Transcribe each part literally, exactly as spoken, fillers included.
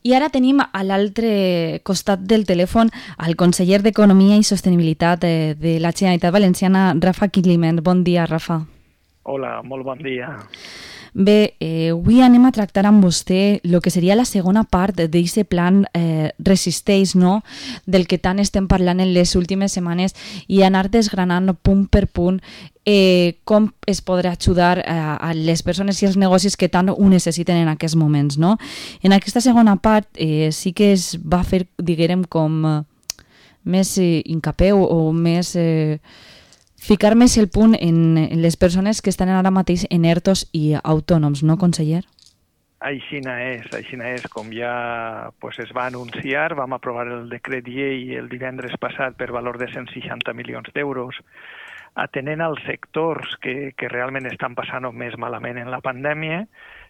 I ara tenim a l'altre costat del telèfon el conseller d'Economia i Sostenibilitat de, de la Generalitat Valenciana, Rafa Climent. Bon dia, Rafa. Hola, molt bon dia. Bé, eh, avui anem a tractar amb vostè el que seria la segona part d'aquest plan eh, Resisteix, no? Del que tant estem parlant en les últimes setmanes i anar desgranant punt per punt eh, com es podrà ajudar a, a les persones i els negocis que tant ho necessiten en aquests moments, no? En aquesta segona part eh, sí que es va fer, diguem, com eh, més eh, hincapié o, o més... Eh, ficar més el punt en, en les persones que estan ara mateix en ERTOs i autònoms, no, conseller? Aixina és, aixina és. Com ja pues, es va anunciar, vam aprovar el decret llei el divendres passat per valor de cent seixanta milions d'euros, atenent als sectors que, que realment estan passant més malament en la pandèmia,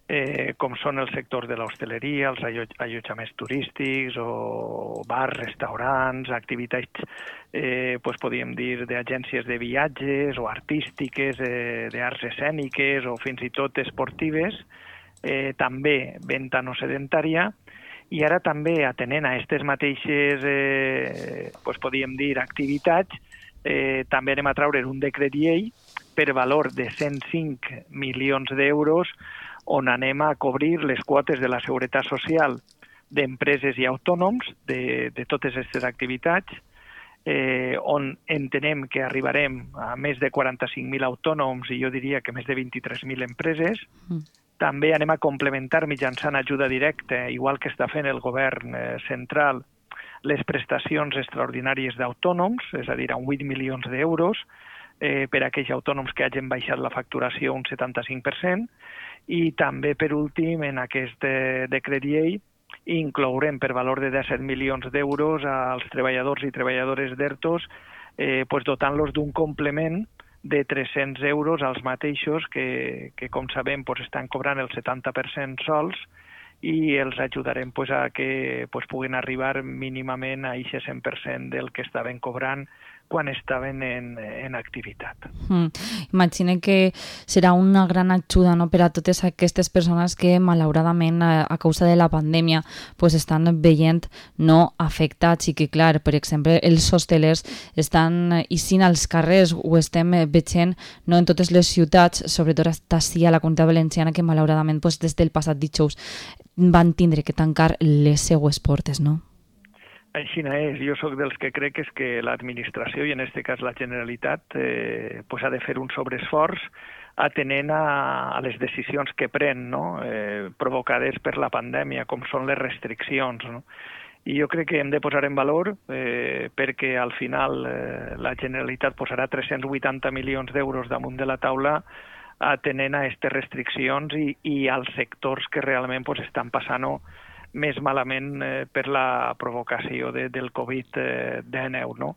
eh, com són els sectors de l'hostaleria, els allotjaments turístics o bars, restaurants, activitats, eh, pues, podríem dir, d'agències de viatges o artístiques, eh, d'arts escèniques o fins i tot esportives, eh, també venda no sedentària, i ara també atenent a aquestes mateixes, eh, pues, podríem dir, activitats, eh, també anem a treure un decret llei per valor de cent cinc milions d'euros on anem a cobrir les quotes de la Seguretat Social d'empreses i autònoms de, de totes aquestes activitats, eh, on entenem que arribarem a més de quaranta-cinc mil autònoms i jo diria que més de vint-i-tres mil empreses. Mm. També anem a complementar mitjançant ajuda directa, igual que està fent el govern eh, central, les prestacions extraordinàries d'autònoms, és a dir, amb vuit milions d'euros, eh, per a aquells autònoms que hagin baixat la facturació un setanta-cinc per cent, i també, per últim, en aquest eh, decret llei, inclourem per valor de disset milions d'euros als treballadors i treballadores d'ERTOs, eh, pues dotant-los d'un complement de tres-cents euros als mateixos que, que com sabem, pues, estan cobrant el setanta per cent sols, i els ajudarem pues, a que pues, puguin arribar mínimament a aquest cent per cent del que estaven cobrant quan estaven en, en activitat. Mm. Imagine que serà una gran ajuda, no?, per a totes aquestes persones que malauradament a, a causa de la pandèmia pues, estan veient no afectats i que, clar, per exemple, els hostelers estan eixint als carrers, ho estem veient no, en totes les ciutats, sobretot ací a la Comunitat Valenciana, que malauradament pues, des del passat dijous van tindre que tancar les seues portes, no? Així és. Jo sóc dels que crec és que l'administració, i en aquest cas la Generalitat, eh, pues ha de fer un sobreesforç atenent a, a les decisions que pren, no? eh, provocades per la pandèmia, com són les restriccions. No? I jo crec que hem de posar en valor eh, perquè al final eh, la Generalitat posarà tres-cents vuitanta milions d'euros damunt de la taula atenent a aquestes restriccions i, i als sectors que realment pues, estan passant més malament eh, per la provocació de, del covid dinou, no?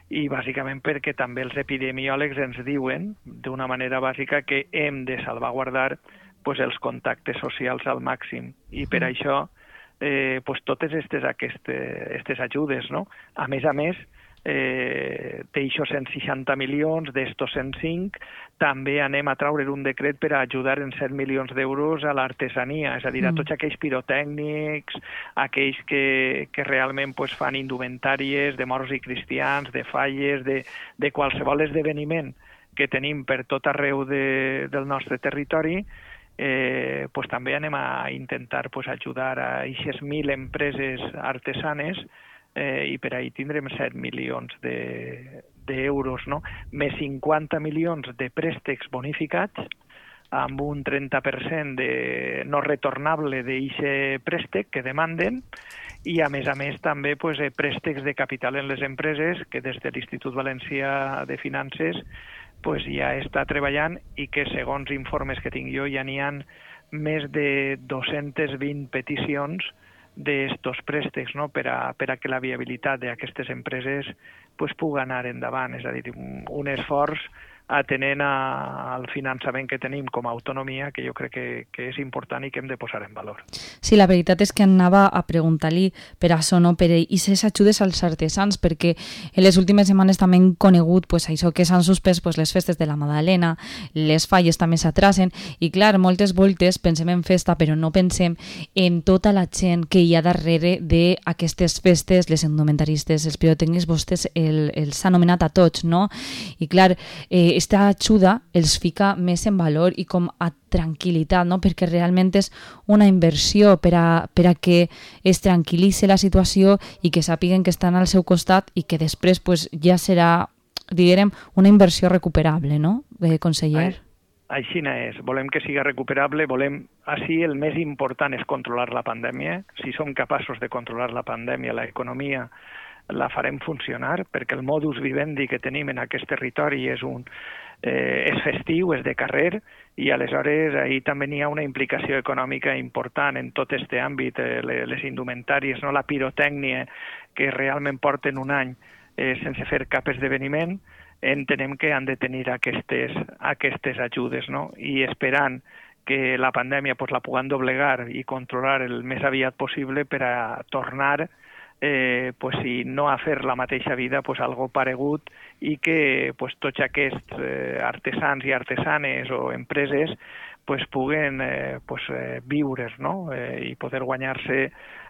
I bàsicament perquè també els epidemiòlegs ens diuen d'una manera bàsica que hem de salvaguardar pues, els contactes socials al màxim. I per mm. això eh, pues, totes aquestes, aquestes, aquestes ajudes, no? A més a més, eh, d'aixòs cent seixanta milions, d'estos cent cinc, també anem a treure un decret per a ajudar en set milions d'euros a l'artesania, és a dir, a tots aquells pirotècnics, aquells que, que realment pues, fan indumentàries de moros i cristians, de falles, de, de qualsevol esdeveniment que tenim per tot arreu de, del nostre territori, eh, pues, també anem a intentar pues, ajudar a aquestes mil empreses artesanes eh, i per ahí tindrem set milions de, d'euros, no? Més cinquanta milions de préstecs bonificats amb un trenta per cent de no retornable d'aquest préstec que demanden i, a més a més, també pues, préstecs de capital en les empreses que des de l'Institut Valencià de Finances pues, ja està treballant i que, segons informes que tinc jo, ja n'hi ha més de dos-centes vint peticions d'estos préstecs, no? per, a, per a que la viabilitat d'aquestes empreses pues, pugui anar endavant. És a dir, un, un esforç atenent a, al finançament que tenim com a autonomia, que jo crec que, que és important i que hem de posar en valor. Sí, la veritat és que anava a preguntar-li per això, no? Per aquestes ajudes als artesans, perquè en les últimes setmanes també hem conegut pues, això que s'han suspès pues, les festes de la Madalena, les falles també s'atrasen, i clar, moltes voltes pensem en festa, però no pensem en tota la gent que hi ha darrere d'aquestes festes, les indumentaristes, els pirotècnics, vostès el, els ha anomenat a tots, no? I clar, eh, esta ajuda els fica més en valor i com a tranquil·litat, no? Perquè realment és una inversió per a, per a que es tranquil·litzi la situació i que sàpiguen que estan al seu costat i que després pues, ja serà, diguem, una inversió recuperable, no, eh, conseller? Així és. Volem que siga recuperable, volem... Així el més important és controlar la pandèmia. Si som capaços de controlar la pandèmia, l'economia la farem funcionar, perquè el modus vivendi que tenim en aquest territori és un eh, és festiu, és de carrer, i aleshores ahir també n'hi ha una implicació econòmica important en tot aquest àmbit, eh, les indumentàries, no? La pirotècnia, que realment porten un any eh, sense fer cap esdeveniment, entenem que han de tenir aquestes, aquestes ajudes, no? I esperant que la pandèmia pues, la puguem doblegar i controlar el més aviat possible per a tornar Eh, pues, si no a fer la mateixa vida, pues, algo paregut, i que pues, tots aquests eh, artesans i artesanes o empreses pues, puguen eh, pues, eh, viure, no? eh, i poder guanyar-se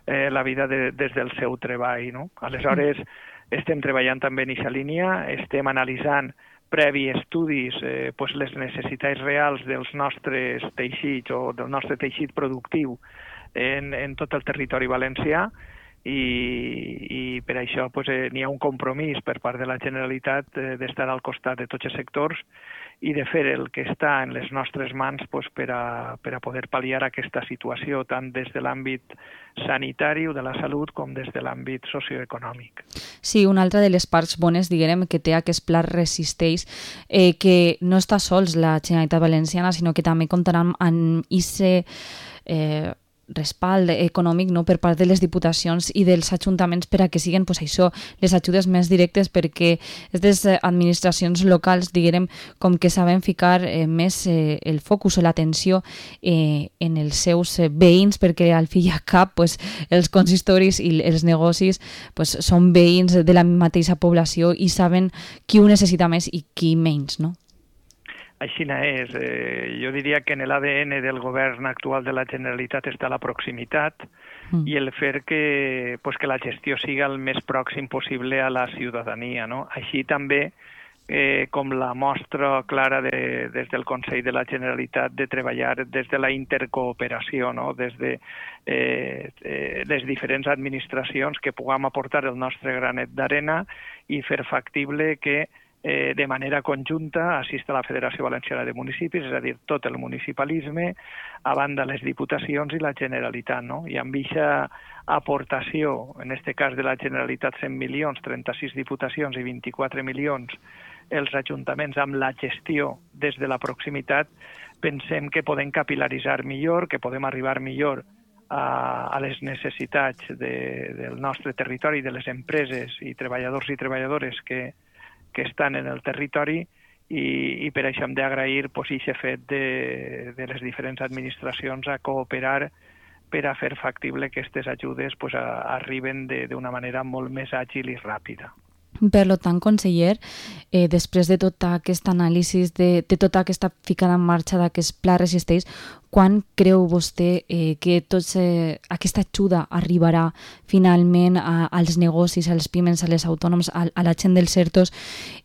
eh, la vida de, des del seu treball. No? Aleshores, estem treballant també en aquesta línia, estem analitzant previ estudis eh, pues, les necessitats reals dels nostres teixits o del nostre teixit productiu en, en tot el territori valencià, i, i per això pues, eh, n'hi ha un compromís per part de la Generalitat eh, d'estar al costat de tots els sectors i de fer el que està en les nostres mans pues, per, a, per a poder pal·liar aquesta situació, tant des de l'àmbit sanitari o de la salut com des de l'àmbit socioeconòmic. Sí, una altra de les parts bones, diguem, que té aquest pla Resisteix, eh, que no està sols la Generalitat Valenciana, sinó que també comptarà amb aquest eh, respald econòmic, no, per part de les diputacions i dels ajuntaments per a que siguin pues, això, les ajudes més directes, perquè aquestes administracions locals, diguem, com que saben ficar eh, més eh, el focus o l'atenció eh, en els seus eh, veïns, perquè al fi i al cap pues, els consistoris i els negocis pues, són veïns de la mateixa població i saben qui ho necessita més i qui menys, no? Així és. Eh, jo diria que en l'A D N del govern actual de la Generalitat està la proximitat mm. i el fer que, pues, que la gestió siga el més pròxim possible a la ciutadania. No? Així també, eh, com la mostra clara de, des del Consell de la Generalitat de treballar des de la intercooperació, no? des de eh, eh, les diferents administracions que puguem aportar el nostre granet d'arena i fer factible que Eh, de manera conjunta assista la Federació Valenciana de Municipis, és a dir, tot el municipalisme, a banda les diputacions i la Generalitat. No? I amb aquesta aportació, en aquest cas de la Generalitat cent milions, trenta-sis diputacions i vint-i-quatre milions els ajuntaments amb la gestió des de la proximitat, pensem que podem capilaritzar millor, que podem arribar millor a, a les necessitats de, del nostre territori, de les empreses i treballadors i treballadores que que estan en el territori i, i per això hem d'agrair pues, aquest fet de, de les diferents administracions a cooperar per a fer factible que aquestes ajudes pues, a, arriben d'una manera molt més àgil i ràpida. Per tant, conseller, eh, després de tot aquest anàlisi, de, de tota aquesta ficada en marxa d'aquest pla Resisteix, quan creu vostè eh, que tots, eh, aquesta ajuda arribarà finalment a, als negocis, als pimes, a les autònoms, a, a la gent dels certos,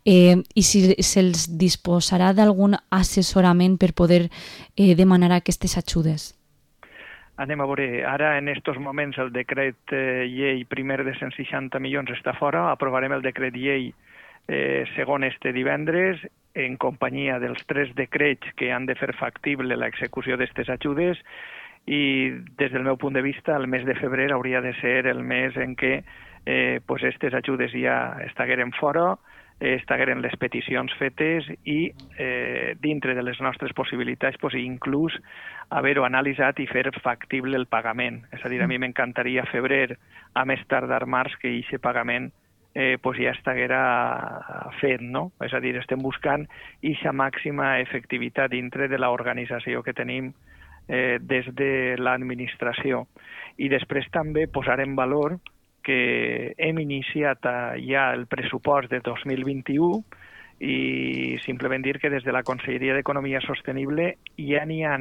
eh, i si se'ls disposarà d'algun assessorament per poder eh, demanar aquestes ajudes? Anem a veure, ara en aquests moments el decret eh, llei primer de cent seixanta milions està fora, aprovarem el decret llei eh, segon este divendres, en companyia dels tres decrets que han de fer factible l'execució d'aquestes ajudes, i des del meu punt de vista el mes de febrer hauria de ser el mes en què eh, pues aquestes ajudes ja estagueren fora, eh, estagueren les peticions fetes i eh, dintre de les nostres possibilitats pues, inclús haver-ho analitzat i fer factible el pagament. És a dir, a mi m'encantaria febrer, a més tardar març, que aquest pagament eh, pues ja estiguera fet, no? És a dir, estem buscant aquesta màxima efectivitat dintre de l'organització que tenim eh, des de l'administració. I després també posar en valor que hem iniciat ja el pressupost de dos mil vint-i-u i simplement dir que des de la Conselleria d'Economia Sostenible ja n'hi ha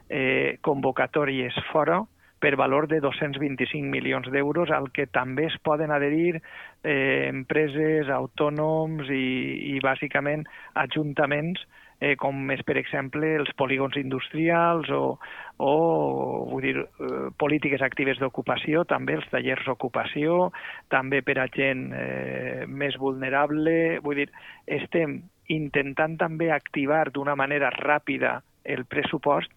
eh, convocatòries fora per valor de dos-cents vint-i-cinc milions d'euros, al que també es poden adherir eh, empreses, autònoms i, i bàsicament ajuntaments, eh, com és, per exemple, els polígons industrials o, o vull dir, eh, polítiques actives d'ocupació, també els tallers d'ocupació, també per a gent eh, més vulnerable. Vull dir, estem intentant també activar d'una manera ràpida el pressupost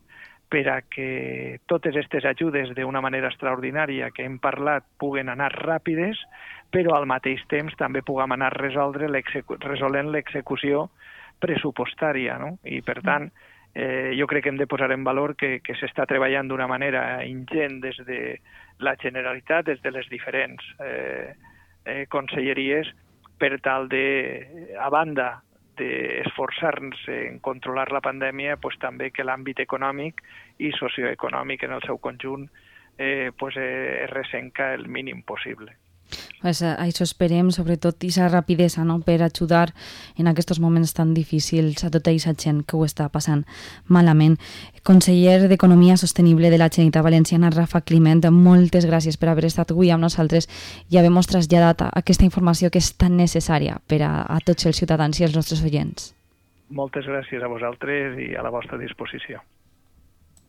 per a que totes aquestes ajudes d'una manera extraordinària que hem parlat puguen anar ràpides, però al mateix temps també puguem anar resoldre resolent l'execució pressupostària, no? I per tant, eh, jo crec que hem de posar en valor que, que s'està treballant d'una manera ingent des de la Generalitat, des de les diferents eh, eh, conselleries, per tal de, a banda d'esforçar-nos en controlar la pandèmia, pues, també que l'àmbit econòmic i socioeconòmic en el seu conjunt eh, pues, eh, es ressenca el mínim possible. Pues, això esperem, sobretot, aquesta rapidesa, no?, per ajudar en aquests moments tan difícils a tota aquesta gent que ho està passant malament. Conseller d'Economia Sostenible de la Generalitat Valenciana, Rafa Climent, moltes gràcies per haver estat avui amb nosaltres i haver-nos traslladat aquesta informació que és tan necessària per a, a tots els ciutadans i els nostres oients. Moltes gràcies a vosaltres i a la vostra disposició.